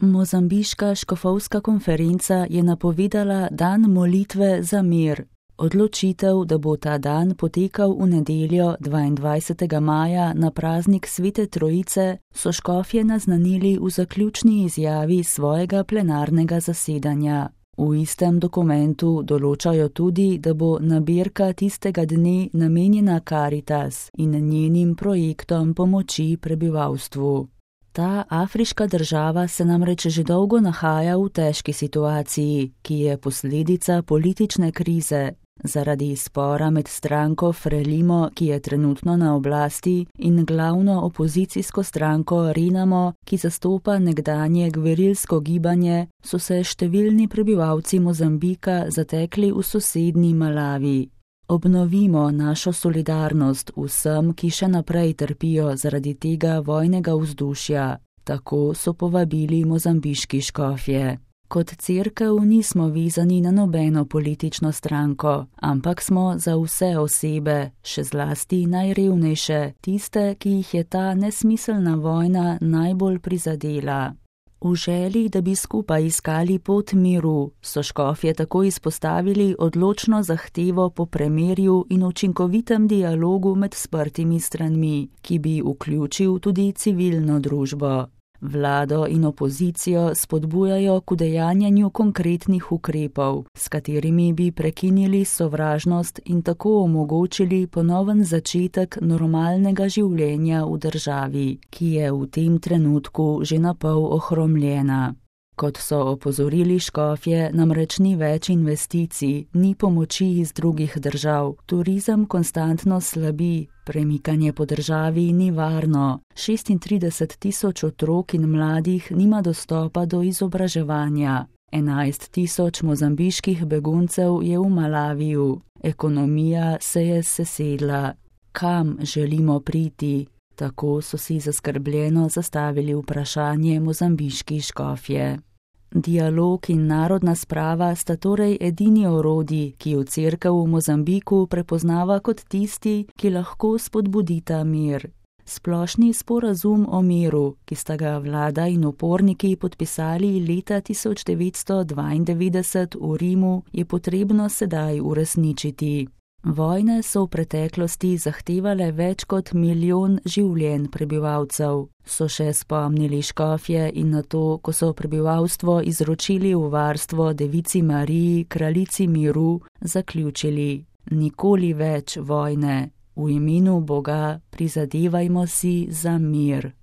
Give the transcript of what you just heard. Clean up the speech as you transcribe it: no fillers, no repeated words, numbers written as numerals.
Mozambiška škofovska konferenca je napovedala dan molitve za mir. Odločitev, da bo ta dan potekal v nedeljo 22. maja na praznik Svete Trojice, so škofje naznanili v zaključni izjavi svojega plenarnega zasedanja. V istem dokumentu določajo tudi, da bo nabirka tistega dne namenjena Caritas in njenim projektom pomoči prebivalstvu. Ta afriška država se namreč že dolgo nahaja v težki situaciji, ki je posledica politične krize. Zaradi spora med stranko Frelimo, ki je trenutno na oblasti, in glavno opozicijsko stranko Renamo, ki zastopa nekdanje gverilsko gibanje, so se številni prebivalci Mozambika zatekli v sosednji Malavi. Obnovimo našo solidarnost vsem, ki še naprej trpijo zaradi tega vojnega vzdušja. Tako so povabili mozambiški škofje. Kot cerkev nismo vezani na nobeno politično stranko, ampak smo za vse osebe, še zlasti najrevnejše, tiste, ki jih je ta nesmiselna vojna najbolj prizadela. V želji, da bi skupaj iskali pot miru, so škofje tako izpostavili odločno zahtevo po premirju in učinkovitem dialogu med sprtimi stranmi, ki bi vključil tudi civilno družbo. Vlado in opozicijo spodbujajo k udejanjanju konkretnih ukrepov, s katerimi bi prekinili sovražnost in tako omogočili ponoven začetek normalnega življenja v državi, ki je v tem trenutku že napol ohromljena. Kot so opozorili škofje, namreč ni več investicij, ni pomoči iz drugih držav, turizem konstantno slabi, premikanje po državi ni varno, 36 tisoč otrok in mladih nima dostopa do izobraževanja, 11 tisoč mozambiških beguncev je v Malaviju, ekonomija se je sesedla. Kam želimo priti? Tako so si zaskrbljeno zastavili vprašanje mozambiški škofje. Dialog in narodna sprava sta torej edini orodji, ki jo cerkev v Mozambiku prepoznava kot tisti, ki lahko spodbudita mir. Splošni sporazum o miru, ki sta ga vlada in uporniki podpisali leta 1992 v Rimu, je potrebno sedaj uresničiti. Vojne so v preteklosti zahtevale več kot 1 milijon življenj prebivalcev, so še spomnili škofje in na to, ko so prebivalstvo izročili v varstvo Devici Mariji, kraljici miru, zaključili: nikoli več vojne, v imenu Boga prizadevajmo si za mir.